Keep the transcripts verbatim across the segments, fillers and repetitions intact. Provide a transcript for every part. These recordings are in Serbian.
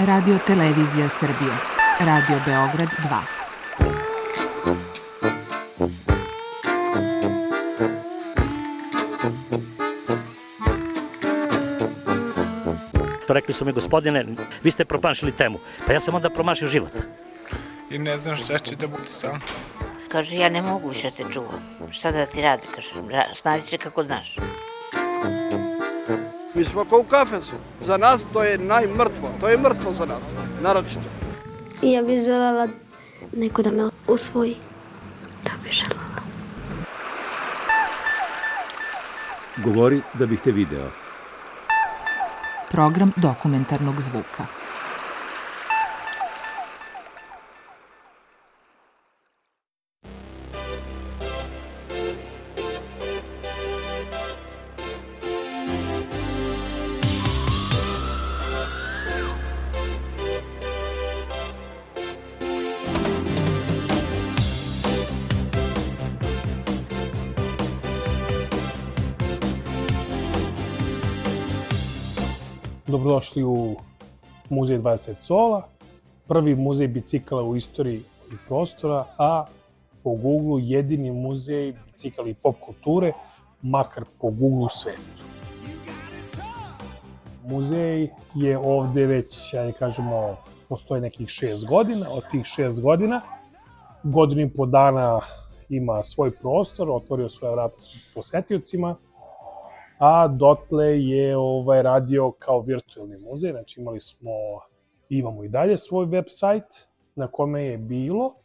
Radio Televizija Srbije, Radio Beograd dva. Rekli su mi, gospodine, vi ste promašili temu. Pa ja sam onda promašio život. I ne znam šta će da bude sam. Kaže, ja ne mogu više te čuvam. Šta da ti radi, kaže, snađi se kako znaš. Mi smo kao u kafesu. Za nas to je najmrtvo. To je mrtvo za nas, naročito. I ja bih želela neko da me usvoji. Da bih želela. Govori da bih te video. Program dokumentarnog zvuka. Dobrodošli u Muzej dvadeset cola, prvi muzej bicikala u istoriji i prostora, a po Google jedini muzej bicikala i pop kulture, makar po Google svetu. Muzej je ovde već, ajde kažemo, postoji nekih šest godina. Od tih šest godina, godinu i po dana ima svoj prostor, otvorio svoje vrata posetiocima, a dotle je ovaj, radio kao virtualni muzej, znači imali smo, imamo i dalje svoj web sajt na kome je bilo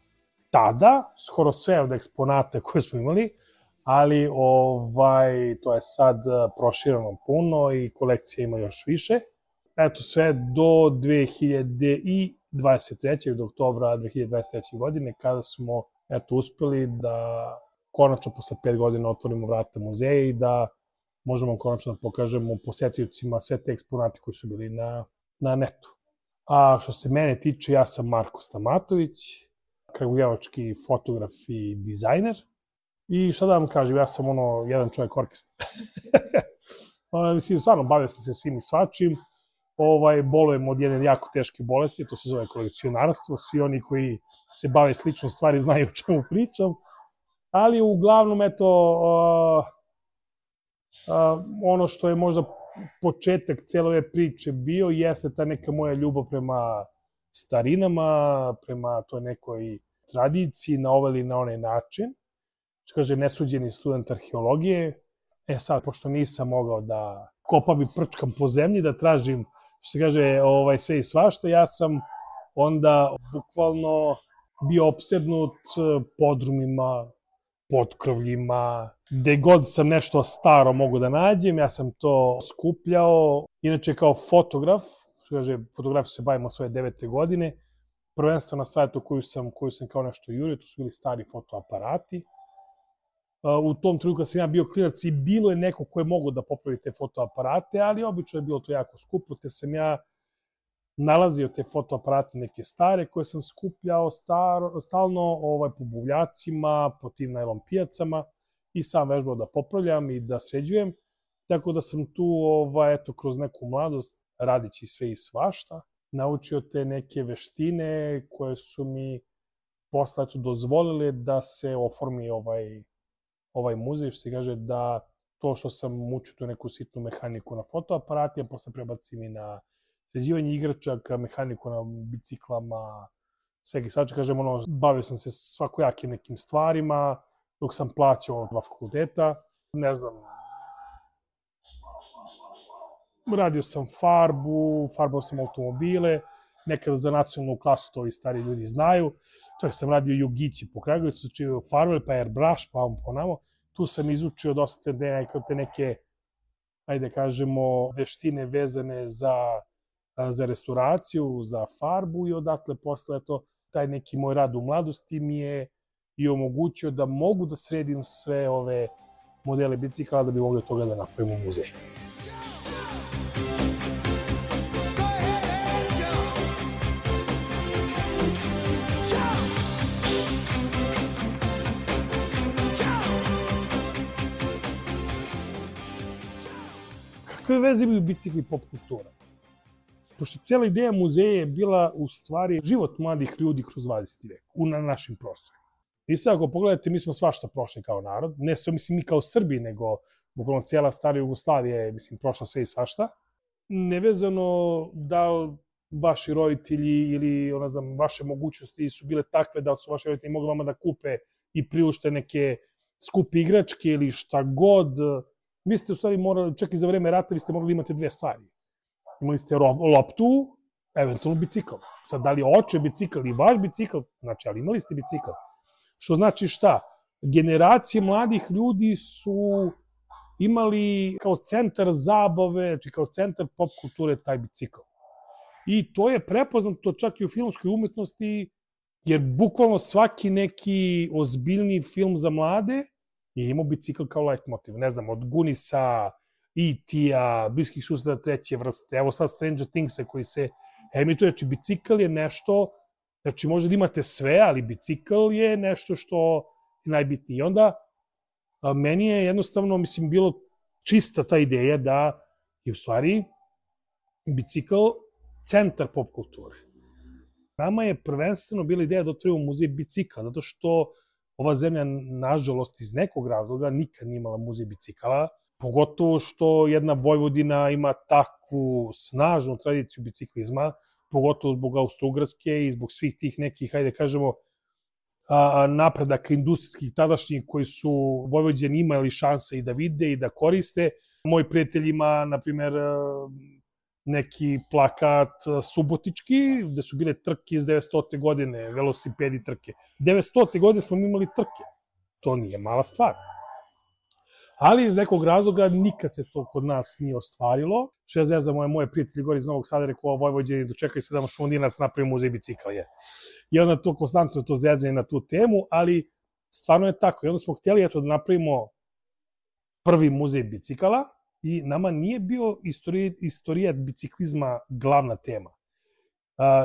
tada skoro sve od eksponata koje smo imali, ali ovaj, to je sad prošireno puno i kolekcija ima još više. Eto sve do dve hiljade dvadeset treće. do oktobra dve hiljade dvadeset treće. godine kada smo eto, uspeli da konačno posle pet godina otvorimo vrata muzeja i da možemo konačno da pokažemo posetiocima sve te eksponate koji su bili na, na netu. A što se mene tiče, ja sam Marko Stamatović, kragujevački fotograf i dizajner. I šta da vam kažem, ja sam ono, jedan čovjek orkestra. Mislim, stvarno, bavio sam se svim i svačim. Ovaj, bolujem od jedne jako teške bolesti, to se zove kolekcionarstvo. Svi oni koji se bave sličnom stvari znaju o čemu pričam. Ali uglavnom, eto, uh, Uh, ono što je možda početak cijele ove priče bio, jeste ta neka moja ljubav prema starinama, prema toj nekoj tradiciji na ovaj ili na onaj način. Što kaže, nesuđeni student arheologije. E sad, pošto nisam mogao da kopam i prčkam po zemlji, da tražim, što se kaže, ovaj, sve i svašta, ja sam onda bukvalno bio opsednut podrumima, potkrovljima, gde god sam nešto staro mogu da nađem, ja sam to skupljao. Inače, kao fotograf, što kaže, fotografiju se bavim od svoje devete godine, prvenstvena stvar to koju sam, koju sam kao nešto jurio, to su bili stari fotoaparati. U tom trenutku kad sam ja bio klinac i bilo je neko ko je mogao da popravi te fotoaparate, ali obično je bilo to jako skupo, te sam ja nalazio te fotoaparate neke stare koje sam skupljao staro, stalno ovaj, po buvljacima, po tim najlon pijacama i sam vežbao da popravljam i da sređujem. Tako da sam tu, ovaj, eto, kroz neku mladost, radići sve i svašta, naučio te neke veštine koje su mi posle eto, dozvolile da se oformi ovaj, ovaj muzej, što se kaže da to što sam učio tu neku sitnu mehaniku na fotoaparati, a posle prebacim i na sređivanje igračaka, mehaniku na biciklama, svega i svača, kažem, ono, bavio sam se svakojakim nekim stvarima, dok sam plaćao dva fakulteta, ne znam, radio sam farbu, farbao sam automobile, nekada za nacionalnu klasu, to ovi stari ljudi znaju, čak sam radio jugići po Kragujevcu, čio farbe, pa airbrush, pa vam ponamo, tu sam izučio dosta te neke, ajde kažemo, veštine vezane za za restauraciju, za farbu i odatle posle to, taj neki moj rad u mladosti mi je i omogućio da mogu da sredim sve ove modele bicikala da bi mogli toga da napravimo u muzeju. Kakve veze imaju bicikli i pop kultura? Pošto cijela ideja muzeja je bila u stvari život mladih ljudi kroz dvadeseti vek, u na našim prostorima. I sad ako pogledate, mi smo svašta prošli kao narod, ne samo mislim mi kao Srbi, nego bukvalno cijela stara Jugoslavija je, mislim, prošla sve i svašta. Nevezano da li vaši roditelji ili, ono znam, vaše mogućnosti su bile takve da su vaši roditelji mogli vama da kupe i priušte neke skupe igračke ili šta god. Vi ste u stvari morali, čak i za vreme rata, vi ste morali imati dve stvari. Imali ste loptu, eventualno bicikl. Sad, da li oče bicikl ili vaš bicikl, znači, ali imali ste bicikl. Što znači šta? Generacije mladih ljudi su imali kao centar zabave, znači kao centar pop kulture taj bicikl. I to je prepoznato čak i u filmskoj umetnosti, jer bukvalno svaki neki ozbiljni film za mlade je imao bicikl kao leitmotiv. Ne znam, od Gunisa, E T-a, Bliskih susreta treće vrste, evo sad Stranger Things-a koji se emituje, znači bicikl je nešto, znači možda da imate sve, ali bicikl je nešto što je najbitnije. I onda a, meni je jednostavno, mislim, bilo čista ta ideja da je u stvari bicikl centar pop kulture. Nama je prvenstveno bila ideja da otvorimo muzej bicikla, zato što ova zemlja, nažalost, iz nekog razloga nikad nije imala muzej bicikala, pogotovo što jedna Vojvodina ima takvu snažnu tradiciju biciklizma, pogotovo zbog Austro-Ugarske i zbog svih tih nekih, hajde kažemo, napredaka industrijskih tadašnjih koji su Vojvođani imali šanse i da vide i da koriste. Moj prijatelj ima, na primjer, neki plakat subotički, gde su bile trke iz devetstote godine, velosipedi trke. devetstote godine smo imali trke. To nije mala stvar. Ali iz nekog razloga nikad se to kod nas nije ostvarilo. Što ja znam za moje, moje prijatelji gore iz Novog Sada, rekao, Vojvođani, dočekaj se da Šumodinac napravi muzej bicikla. Je. I onda to konstantno to zezanje na tu temu, ali stvarno je tako. I onda smo htjeli eto, da napravimo prvi muzej bicikala i nama nije bio istorijat biciklizma glavna tema.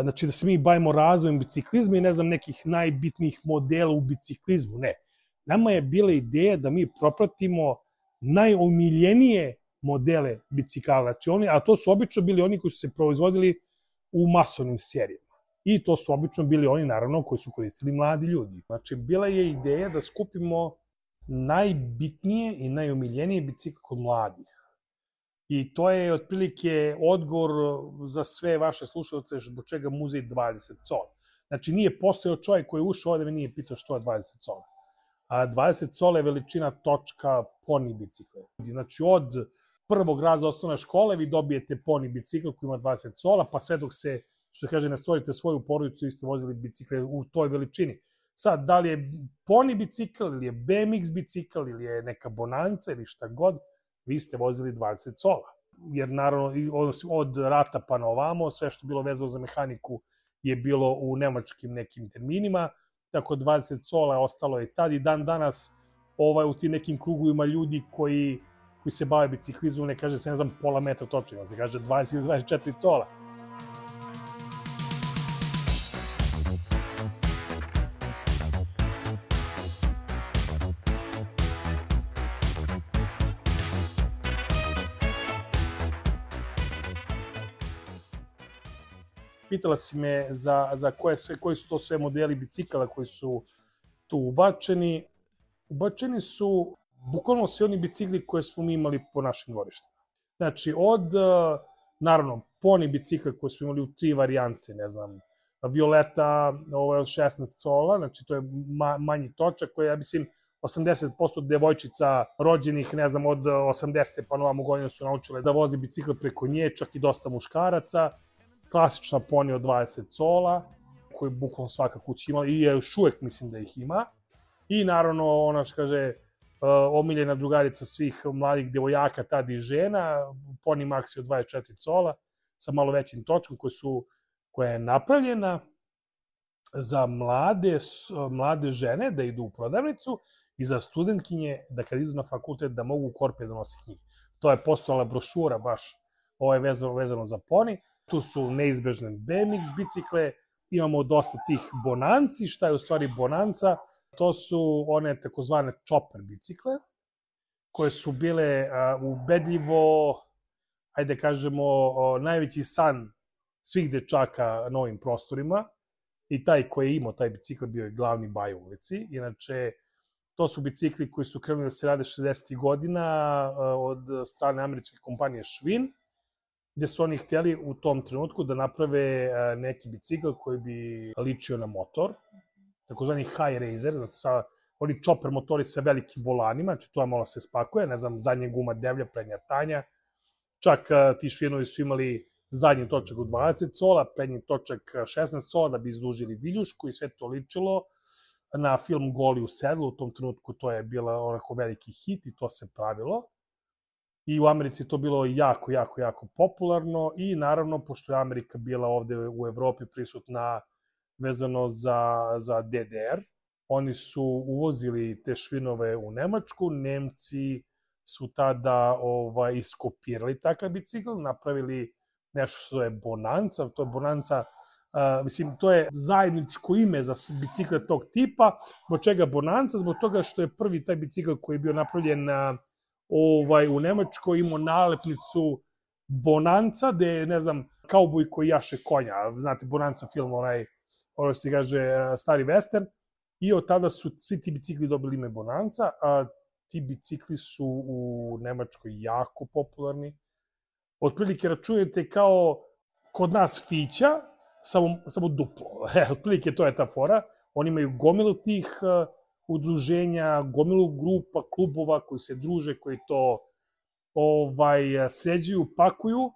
Znači da se mi bavimo razvojem biciklizma i ne znam nekih najbitnijih modela u biciklizmu, ne. Nama je bila ideja da mi propratimo najomiljenije modele bicikala, znači oni, a to su obično bili oni koji su se proizvodili u masovnim serijama. I to su obično bili oni, naravno, koji su koristili mladi ljudi. Znači, bila je ideja da skupimo najbitnije i najomiljenije bicikle kod mladih. I to je otprilike odgovor za sve vaše slušalce zbog čega muzej dvadeset cola. Znači, nije postojao čovjek koji je ušao ovde me nije pitao što je dvadeset cola. A dvadeset cola je veličina točka poni bicikle. Znači, od prvog razreda osnovne škole vi dobijete poni bicikl koji ima dvadeset cola, pa sve dok se, što kaže, ne stvorite svoju porodicu, vi ste vozili bicikle u toj veličini. Sad, da li je poni bicikl, ili je B M X bicikl, ili je neka bonanca, ili šta god, vi ste vozili dvadeset cola. Jer, naravno, od rata pa na ovamo, sve što bilo vezano za mehaniku je bilo u nemačkim nekim terminima, tako dvadeset cola je ostalo i tad i dan danas ovaj, u tim nekim krugovima ljudi koji, koji se bave biciklizmom, ne kaže se, ne znam, pola metra točno, se kaže dvadeset ili dvadeset četiri cola. Pitala si me za, za koje sve, koji su to sve modeli bicikala koji su tu ubačeni. Ubačeni su bukvalno svi oni bicikli koje smo mi imali po našim dvorištima. Znači, od, naravno, poni bicikla koje smo imali u tri varijante, ne znam, Violeta, ovo je od šesnaest cola, znači to je ma, manji točak koji, ja mislim, osamdeset posto devojčica rođenih, ne znam, od osamdesete pa novamo godinu su naučile da vozi bicikl preko nje, čak i dosta muškaraca. Klasična poni od dvadeset cola, koju bukvalno svaka kuća imala i još uvek mislim da ih ima. I naravno, ona što kaže, omiljena drugarica svih mladih devojaka, tad i žena, poni Maxi od dvadeset četiri cola, sa malo većim točkom, koja, su, koja je napravljena za mlade, mlade žene da idu u prodavnicu i za studentkinje da kad idu na fakultet da mogu u korpe da nose knjige. To je postojala brošura baš, ovo je vezano, vezano za poni. Tu su neizbežne B M X bicikle, imamo dosta tih bonanci. Šta je u stvari bonanca? To su one takozvane chopper bicikle, koje su bile uh, ubedljivo, ajde kažemo, uh, najveći san svih dečaka na ovim prostorima i taj koji je imao taj bicikl bio je glavni baj u ulici. Inače, to su bicikli koji su krenuli da se rade šezdesetih godina od strane američke kompanije Schwinn, gde su oni hteli u tom trenutku da naprave neki bicikl koji bi ličio na motor, takozvani high racer, znači sa oni chopper motori sa velikim volanima, znači to je malo se spakuje, ne znam, zadnja guma devlja, prednja tanja, čak ti Schwinnovi su imali zadnji točak u dvadeset cola, prednji točak šesnaest cola da bi izdužili viljušku i sve to ličilo na film Goli u sedlu, u tom trenutku to je bila onako veliki hit i to se pravilo. I u Americi to bilo jako, jako, jako popularno i naravno, pošto je Amerika bila ovde u Evropi prisutna vezano za, za D D R, oni su uvozili te Schwinnove u Nemačku, Nemci su tada ovaj, iskopirali takav bicikl, napravili nešto što je Bonanza, to je Bonanza, uh, mislim, to je zajedničko ime za bicikle tog tipa, zbog čega Bonanza, zbog toga što je prvi taj bicikl koji je bio napravljen uh, ovaj, u Nemačkoj imao nalepnicu Bonanza, gde je, ne znam, kauboj koji jaše konja, znate, Bonanza film, onaj, ono se kaže, stari western, i od tada su svi ti bicikli dobili ime Bonanza, a ti bicikli su u Nemačkoj jako popularni. Otprilike računajte kao kod nas Fića, samo, samo duplo. E, otprilike to je ta fora. Oni imaju gomilu tih uh, udruženja, gomilu grupa, klubova koji se druže, koji to ovaj, sređuju, pakuju,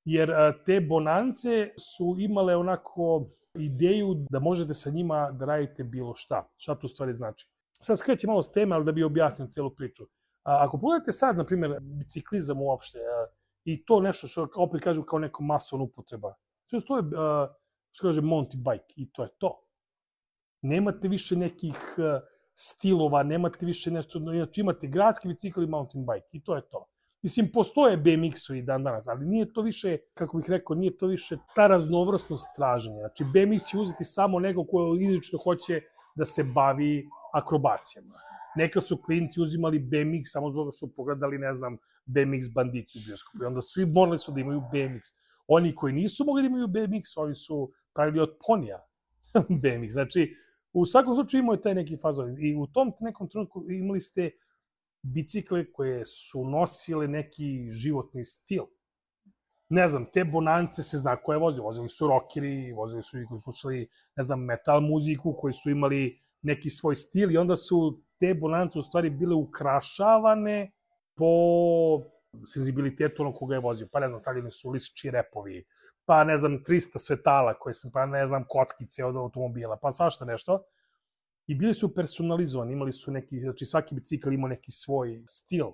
jer uh, te Bonance su imale onako ideju da možete sa njima da radite bilo šta. Šta to u stvari znači? Sad skrećem malo s teme, ali da bi objasnio celu priču. A, ako pogledate sad, na primjer, biciklizam uopšte, a, i to nešto što opet kažu kao neko mason upotreba. Sve to je, a, što kaže, mountain bike i to je to. Nemate više nekih a, stilova, nemate više nešto, znači imate gradski bicikl i mountain bike i to je to. Mislim, postoje B M X-ovi dan danas, ali nije to više, kako bih rekao, nije to više ta raznovrstnost traženja. Znači, B M X će uzeti samo neko ko izrično hoće da se bavi akrobacijama. Nekad su klinci uzimali B M X samo zbog što su pogledali, ne znam, B M X banditi u bioskopu. I onda svi morali su da imaju B M X. Oni koji nisu mogli da imaju B M X, oni su pravili od ponija B M X. Znači, u svakom slučaju imao je taj neki fazon. I u tom nekom trenutku imali ste bicikle koje su nosile neki životni stil. Ne znam, te Bonance se zna ko je vozio. Vozili su rockeri, vozili su i koji su slušali, ne znam, metal muziku, koji su imali neki svoj stil i onda su te Bonance u stvari bile ukrašavane po senzibilitetu onog koga je vozio. Pa ne znam, stavljeni su listići repovi, pa ne znam, trista svetala koje sam, pa ne znam, kockice od automobila, pa svašta nešto. I bili su personalizovani, imali su neki, znači svaki bicikl imao neki svoj stil.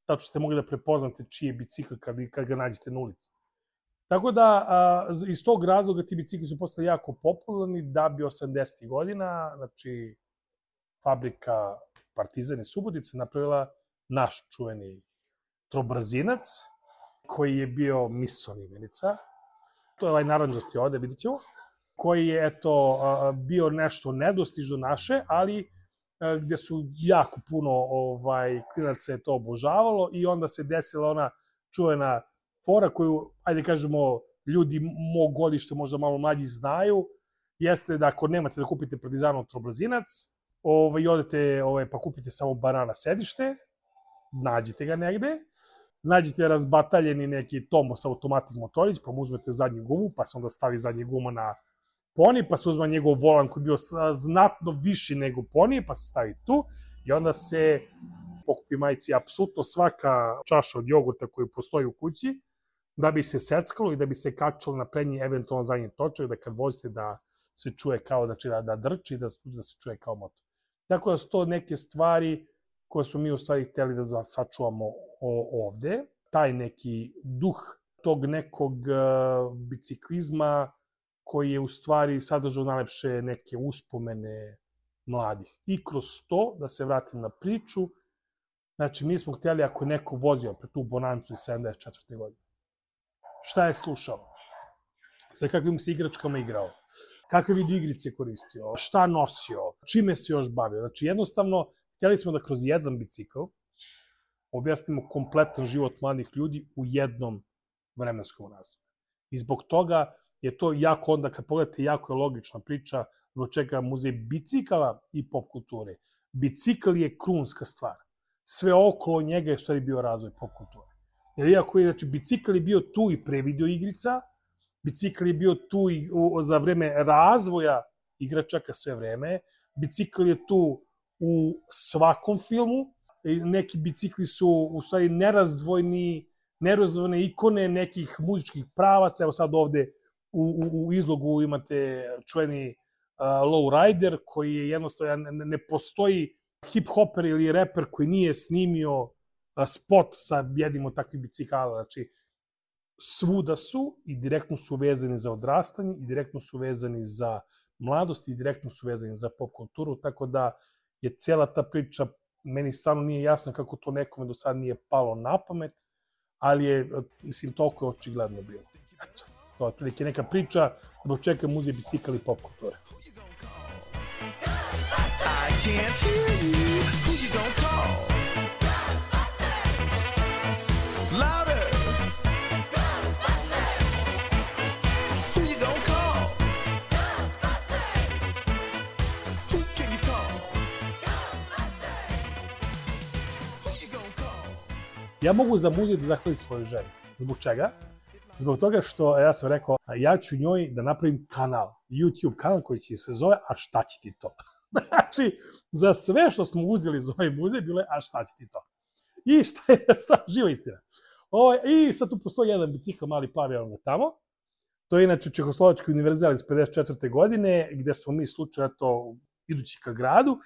Tačno ste mogli da prepoznate čiji je bicikl kad, kad ga nađete na ulici. Tako da, a, iz tog razloga ti bicikli su postali jako popularni da bi osamdesetih godina, znači, fabrika Partizan iz Subotice napravila naš čuveni trobrzinac, koji je bio Misson imenica. To je ovaj naranđasti ovde, vidit ćemo, koji je, eto, bio nešto nedostižno naše, ali gde su jako puno ovaj, klinaca je to obožavalo i onda se desila ona čuvena fora koju, ajde kažemo, ljudi mog godišta možda malo mlađi znaju, jeste da ako nemate da kupite Partizanov trobrzinac, ovaj, odete ovaj, pa kupite samo banana sedište, nađite ga negde, nađete razbataljeni neki Tomos automatik motorić, pa mu uzmete zadnju gumu, pa se onda stavi zadnja guma na poni, pa se uzma njegov volan koji je bio znatno viši nego poni, pa se stavi tu i onda se pokupi majici apsolutno svaka čaša od jogurta koju postoji u kući, da bi se seckalo i da bi se kačalo na prednji eventualno zadnji točak, da kad vozite da se čuje kao, znači da, da drči, da, da se čuje kao motor. Tako da su to neke stvari koje smo mi u stvari hteli da sačuvamo ovde. Taj neki duh tog nekog biciklizma koji je u stvari sadržao najlepše neke uspomene mladih. I kroz to, da se vratim na priču, znači mi smo htjeli ako je neko vozio pre tu Bonancu iz sedamdeset četvrte godine, šta je slušao, sa kakvim se igračkama igrao, kakve video igrice koristio, šta nosio, čime se još bavio. Znači jednostavno, htjeli smo da kroz jedan bicikl objasnimo kompletan život mladih ljudi u jednom vremenskom razdoblju. I zbog toga je to jako, onda kad pogledate, jako je logična priča zbog čega muzej bicikala i pop kulture. Bicikl je krunska stvar. Sve okolo njega je u stvari bio razvoj pop kulture. Jer iako je, znači, bicikl je bio tu i pre video igrica, bicikl je bio tu i u, za vreme razvoja igračaka sve vreme, bicikl je tu u svakom filmu, neki bicikli su u stvari nerazdvojni, nerazdvojne ikone nekih muzičkih pravaca. Evo sad ovde u, u, u izlogu imate čuveni uh, Lowrider, koji je jednostavno, ne, ne postoji hip-hoper ili reper koji nije snimio uh, spot sa jednim od takvih bicikala. Znači, svuda su i direktno su vezani za odrastanje, i direktno su vezani za mladost, i direktno su vezani za pop kulturu, tako da je cela ta priča, meni stvarno nije jasno kako to nekome do sad nije palo na pamet, ali je, mislim, toliko je očigledno bilo. Eto, to je otprilike neka priča zbog čega muzej, bicikl i pop kulture. Ja mogu za muzej da zahvalim svoju ženu. Zbog čega? Zbog toga što, ja sam rekao, ja ću njoj da napravim kanal, YouTube kanal koji će se zove A šta će ti to? Znači, za sve što smo uzeli za ovaj muzej, bilo je A šta će ti to? I šta je, šta, živa istina. O, I sad tu postoji jedan bicikl, mali plavi, ono tamo. To je inače Čehoslovački univerzal iz pedeset četvrte godine, gde smo mi slučaj, eto, idući ka gradu,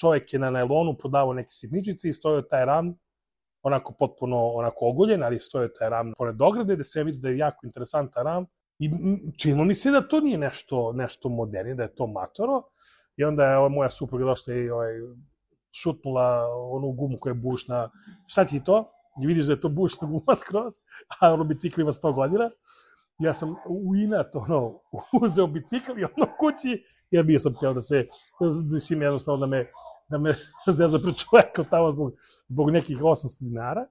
čovjek je na najlonu prodavao neke sitničice i stojao taj ram, onako potpuno onako oguljen, ali stoje taj ram pored ograde, gde se vidi da je jako interesantan ram. I činilo mi se da to nije nešto, nešto modernije, da je to matoro. I onda je moja supruga došla i ovaj, šutnula onu gumu koja je bušna. Šta ti je to? I vidiš da je to bušna guma skroz, a ono bicikl ima sto godina. Ja sam u inat ono, uzeo bicikl i ono kući, jer bio sam teo da se, mislim jednostavno da me da me zeza pred čoveka tamo zbog, zbog nekih osamsto dinara.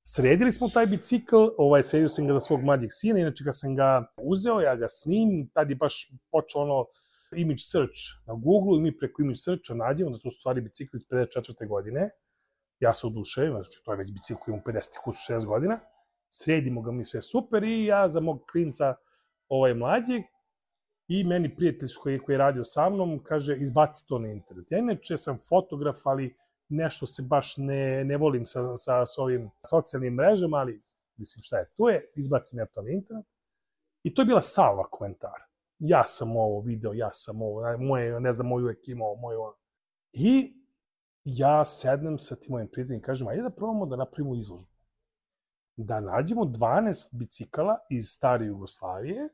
Sredili smo taj bicikl, ovaj, sredio sam ga za svog mlađeg sina, inače kad sam ga uzeo, ja ga snimim, tad je baš počeo ono image search na Google i mi preko image searcha nađemo da to su stvari bicikli iz pedeset četvrte godine. Ja se oduševim, znači to je već bicikl koji ima pedeset šest godina. Sredimo ga mi sve super i ja za mog klinca ovaj mlađeg i meni prijatelj koji, koji je radio sa mnom, kaže, izbaci to na internet. Ja inače sam fotograf, ali nešto se baš ne, ne volim sa, sa, sa ovim socijalnim mrežama, ali mislim šta je, to je, izbacim ja to na internet. I to je bila salva komentara. Ja sam ovo video, ja sam ovo, moje, ne znam, moj uvek imao, moj ovo. I ja sednem sa tim mojim prijateljima i kažem, ajde da probamo da napravimo izložbu. Da nađemo dvanaest bicikala iz stare Jugoslavije,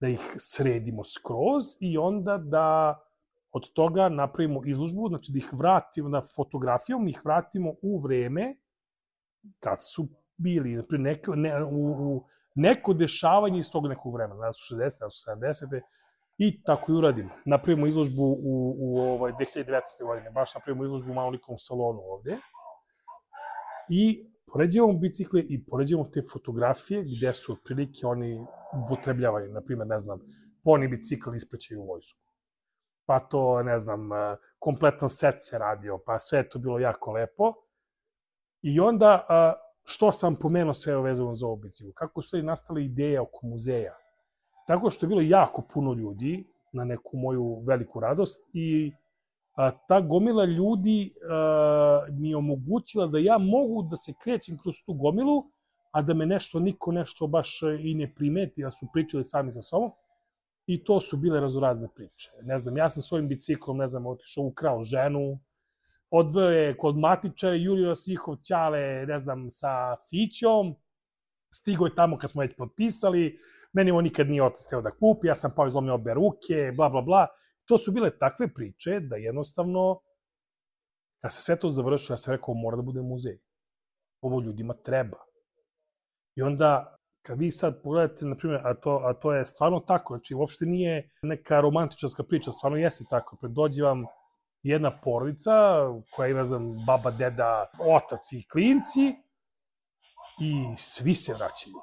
da ih sredimo skroz i onda da od toga napravimo izložbu, znači da ih vratimo, da fotografijom ih vratimo u vreme kad su bili, naprijed, neko, ne, u, u neko dešavanje iz tog nekog vremena, da su šezdesete, da su sedamdesete i tako i uradimo. Napravimo izložbu u, u ovaj, dve hiljade devetnaeste. godine, baš napravimo izložbu u malolikom salonu ovde i poređujemo bicikle i poređujemo te fotografije gde su otprilike oni upotrebljavani, na primjer, ne znam, poni bicikl isprećaju u vojsku. Pa to, ne znam, kompletan set se radio, pa sve je to bilo jako lepo. I onda, što sam pomenuo sve vezano za ovu biciklu? Kako su stvari nastale ideje oko muzeja? Tako što je bilo jako puno ljudi, na neku moju veliku radost, i a, ta gomila ljudi a, mi je omogućila da ja mogu da se krećem kroz tu gomilu, a da me nešto, niko nešto baš i ne primeti, da su pričali sami sa sobom. I to su bile razorazne priče. Ne znam, ja sam svojim biciklom, ne znam, otišao, ukrao ženu, odveo je kod matičara, jurio nas njihov ćale, ne znam, sa Fićom, stigo je tamo kad smo već potpisali, meni ovo nikad nije otac teo da kupi, ja sam pao izlomio obe ruke, bla, bla, bla. To su bile takve priče da jednostavno, kad se sve to završilo, ja sam rekao, mora da bude muzej. Ovo ljudima treba. I onda, kad vi sad pogledate, na primjer, a to, a to je stvarno tako, znači uopšte nije neka romantičarska priča, stvarno jeste tako. Dođe vam jedna porodica koja ima, znam, baba, deda, otac i klinci i svi se vraćaju.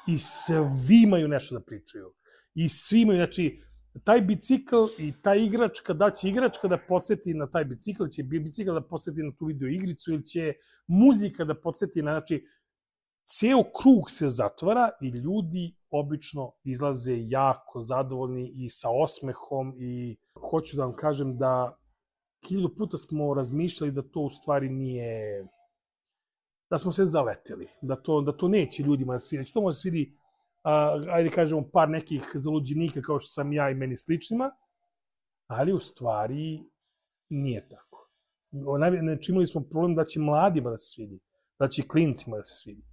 i svi imaju nešto da pričaju. I svi imaju, znači, taj bicikl i ta igračka, da će igračka da podsjeti na taj bicikl, će bicikl da podsjeti na tu video igricu ili će muzika da podsjeti na, znači, ceo krug se zatvara i ljudi obično izlaze jako zadovoljni i sa osmehom i hoću da vam kažem da hiljadu puta smo razmišljali da to u stvari nije, da smo se zaleteli, da to, da to neće ljudima da svidi, da to može svidi, a, ajde kažemo, par nekih zaluđenika kao što sam ja i meni sličnima, ali u stvari nije tako. Znači, imali smo problem da će mladima da se svidi, da će klincima da se svidi.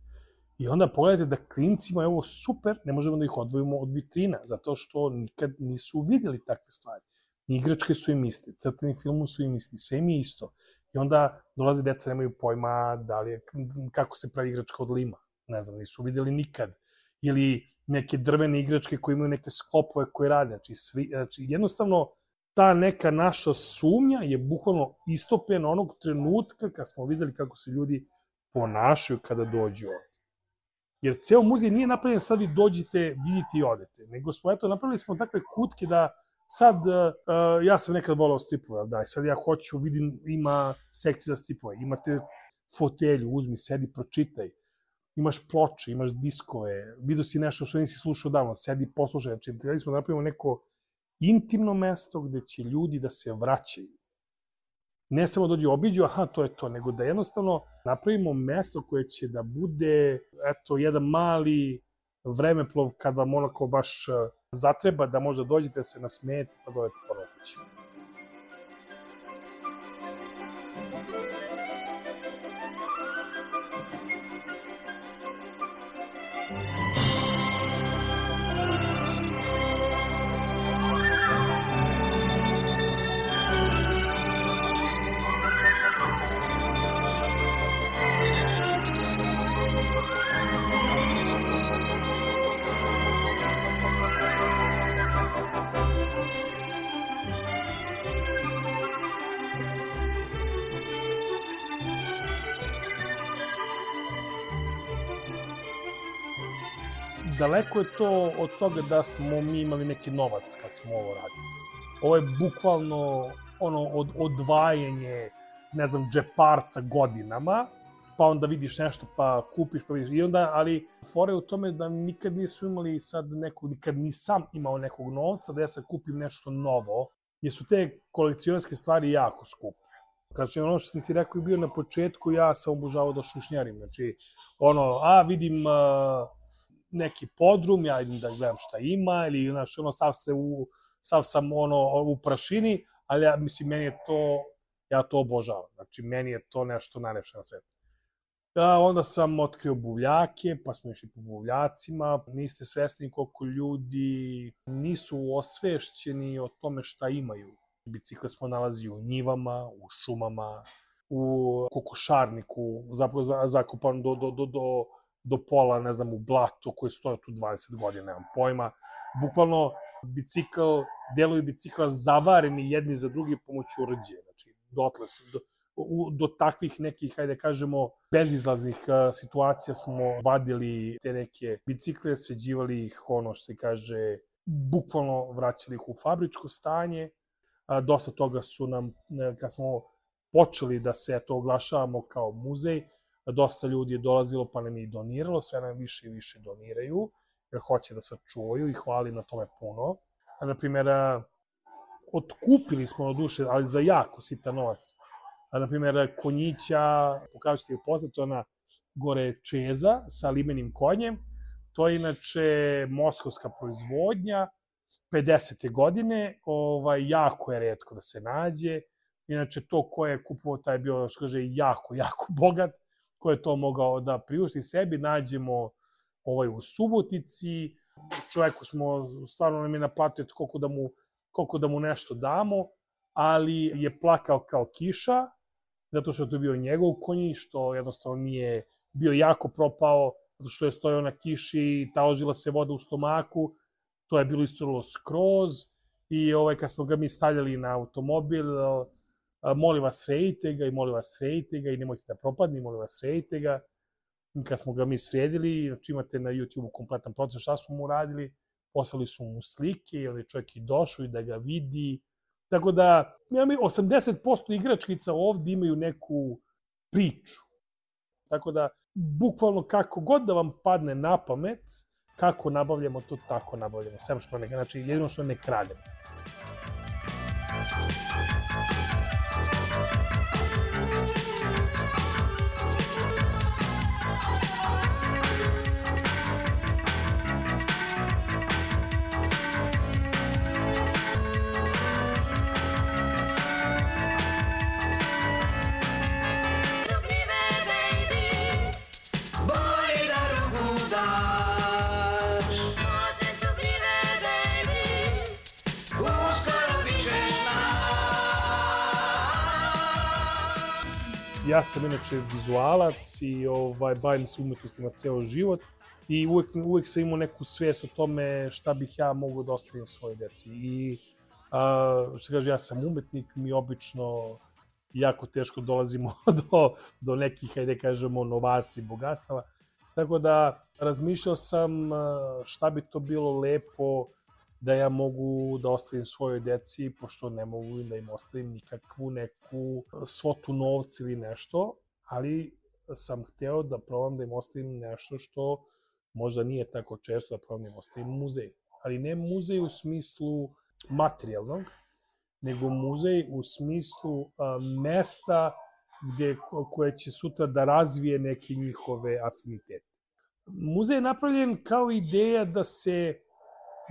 I onda pogledajte da klincima je ovo super, ne možemo da ih odvojimo od vitrina, zato što nikad nisu vidjeli takve stvari. Igračke su im iste, crteni film su im isti, sve im je isto. I onda dolaze deca, nemaju pojma da li je, kako se pravi igračka od lima. Ne znam, nisu vidjeli nikad. Ili neke drvene igračke koje imaju neke sklopove koje rade. Znači, svi, znači, jednostavno, ta neka naša sumnja je bukvalno istopljena onog trenutka kad smo vidjeli kako se ljudi ponašaju kada dođu ovdje. Jer ceo muzej nije napravljen sad vi dođite, vidite i odete. Nego smo, eto, napravili smo takve kutke da sad, uh, ja sam nekad volao stripove, da, sad ja hoću, vidim, ima sekcije za stripove, imate fotelju, uzmi, sedi, pročitaj, imaš ploče, imaš diskove, vidio si nešto što nisi slušao davno, sedi, poslušaj, znači, trebali smo da napravimo neko intimno mesto gde će ljudi da se vraćaju. Ne samo dođu obiđu, aha, to je to, nego da jednostavno napravimo mesto koje će da bude, eto, jedan mali vremeplov kad vam onako baš zatreba da možda dođete se nasmejete pa dođete ponovo kući. Daleko je to od toga da smo mi imali neki novac kad smo ovo radili. Ovo je bukvalno ono od, odvajanje, ne znam, džeparca godinama, pa onda vidiš nešto pa kupiš pa vidiš. I onda, ali fora je u tome da nikad nismo imali sad nekog, nikad nisam imao nekog novca da ja sad kupim nešto novo, jer su te kolekcionarske stvari jako skupe. Znači, ono što sam ti rekao i bio na početku, ja sam obožavao da šušnjarim. Znači, ono, a vidim uh, neki podrum, ja idem da gledam šta ima, ili, znaš, ono, sav, se u, sav sam, ono, u prašini, ali ja, mislim, meni je to, ja to obožavam. Znači, meni je to nešto najlepše na svetu. A, onda sam otkrio buvljake, pa smo išli po buvljacima. Niste svesni koliko ljudi nisu osvešćeni o tome šta imaju. Bicikle smo nalazili u njivama, u šumama, u kokošarniku, zapravo zakopan do, do, do, do, do pola, ne znam, u blatu koji stoje tu dvadeset godina, nemam pojma. Bukvalno, bicikl, delovi bicikla zavareni jedni za drugi pomoću rđe. Znači, dotle su, do, u, do takvih nekih, hajde kažemo, bezizlaznih uh, situacija smo vadili te neke bicikle, sređivali ih, ono što se kaže, bukvalno vraćali ih u fabričko stanje. A, dosta toga su nam, kad smo počeli da se to oglašavamo kao muzej, dosta ljudi je dolazilo pa nam je i doniralo, sve nam više i više doniraju, jer hoće da sačuvaju i hvali na tome puno. A, naprimjer, otkupili smo od duše, ali za jako sitan novac. A, naprimjer, konjića, pokažu ćete ih poznat, to je ona gore čeza sa limenim konjem. To je inače moskovska proizvodnja, pedesete godine, ovaj, jako je retko da se nađe. Inače, to ko je kupovao, taj je bio, što kaže, jako, jako bogat, ko je to mogao da priušti sebi, nađemo ovaj, u Subotici. Čovjeku smo, stvarno nam je naplatio koliko da mu, koliko da mu nešto damo, ali je plakao kao kiša, zato što je to bio njegov konji, što jednostavno nije bio jako propao, zato što je stojao na kiši i taložila se voda u stomaku. To je bilo istorilo skroz i ovaj, kad smo ga mi stavljali na automobil, molim vas rejte ga i molim vas rejte ga i nemojte da propadne, molim vas rejte ga. kad smo ga mi sredili, znači imate na YouTube-u kompletan proces šta smo mu radili, poslali smo mu slike, jer je čovjek i došao i da ga vidi. Tako da, ja mi osamdeset posto igračkica ovdje imaju neku priču. Tako da, bukvalno kako god da vam padne na pamet, kako nabavljamo to, tako nabavljamo. Sem što ne, znači jedino što ne krademo. Ja sam inače vizualac i ovaj, bavim se umetnostima ceo život i uvek, uvek sam imao neku svijest o tome šta bih ja mogao da ostavim svojoj deci. I a, što kaže, ja sam umetnik, mi obično jako teško dolazimo do, do nekih, hajde kažemo, novacija, bogatstava. Tako da razmišljao sam šta bi to bilo lepo da ja mogu da ostavim svojoj deci, pošto ne mogu da im ostavim nikakvu neku svotu novca ili nešto, ali sam hteo da probam da im ostavim nešto što možda nije tako često, da probam da im ostavim muzej. Ali ne muzej u smislu materijalnog, nego muzej u smislu a, mesta gde, koje će sutra da razvije neke njihove afinitete. Muzej je napravljen kao ideja da se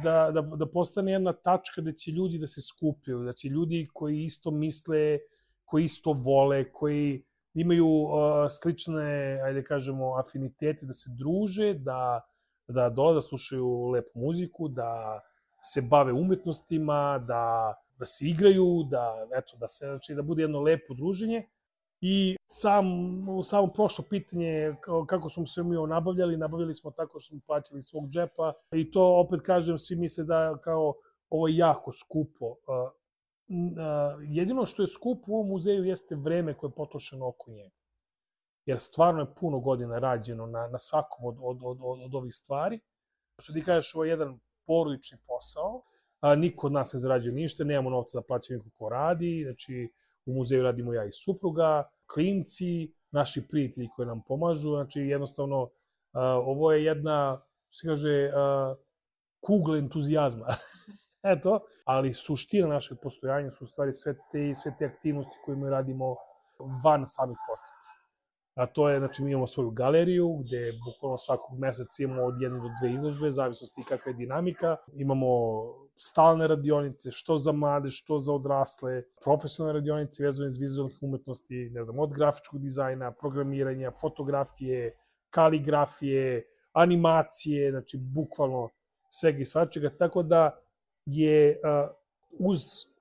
Da, da, da postane jedna tačka da će ljudi da se skupljaju, da će ljudi koji isto misle, koji isto vole, koji imaju uh, slične, ajde kažemo, afinitete, da se druže, da, da dolaze da slušaju lepu muziku, da se bave umetnostima, da, da se igraju, da, eto, da, se, znači, da bude jedno lepo druženje. I sam, samo prošlo pitanje kako smo sve mi nabavljali, nabavljali smo tako što smo plaćali svog džepa i to opet kažem, svi misle da kao ovo je jako skupo. Jedino što je skupo u ovom muzeju jeste vreme koje je potrošeno oko njega. Jer stvarno je puno godina rađeno na, na svakom od, od, od, od ovih stvari. Što ti kažeš, ovo je jedan porodični posao, a, niko od nas ne zarađuje ništa, nemamo novca da plaćamo niko ko radi, znači u muzeju radimo ja i supruga, klinci, naši prijatelji koji nam pomažu, znači jednostavno uh, ovo je jedna, što se kaže, uh, kugla entuzijazma. Eto, ali suština našeg postojanja su u stvari sve te, sve te aktivnosti koje mi radimo van samih postavki. A to je, znači mi imamo svoju galeriju gde bukvalno svakog meseca imamo od jedne do dve izložbe, zavisnosti kakva je dinamika. Imamo stalne radionice, što za mlade, što za odrasle, profesionalne radionice vezane iz vizualnih umetnosti, ne znam, od grafičkog dizajna, programiranja, fotografije, kaligrafije, animacije, znači bukvalno svega i svačega, tako da je uh, uz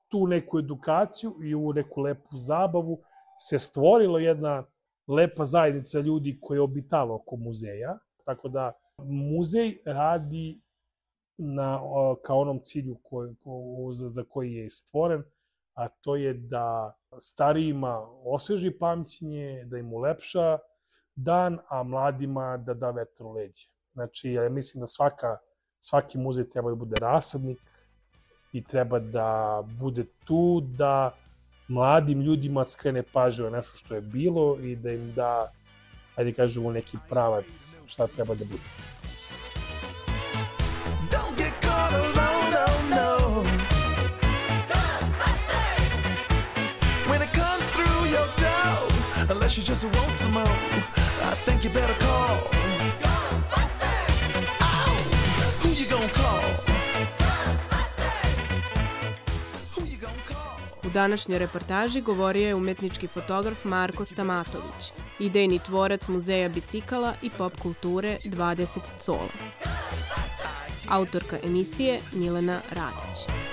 tu neku edukaciju i u neku lepu zabavu se stvorila jedna lepa zajednica ljudi koja je obitala oko muzeja, tako da muzej radi na, kao onom cilju koji, za, za koji je stvoren, a to je da starijima osveži pamćenje, da im ulepša dan, a mladima da da vetar u leđe. Znači, ja mislim da svaka, svaki muzej treba da bude rasadnik i treba da bude tu da mladim ljudima skrene pažnju na nešto što je bilo i da im da, ajde kažemo, neki pravac šta treba da bude. Don't get caught alone, no, no. When it comes through your door, unless you just want some more, I think you better call Ghostbusters. Oh, who you gonna call? U današnjoj reportaži govorio je umetnički fotograf Marko Stamatović, idejni tvorac Muzeja bicikala i pop kulture dvadeset cola. Autorka emisije Milena Radić.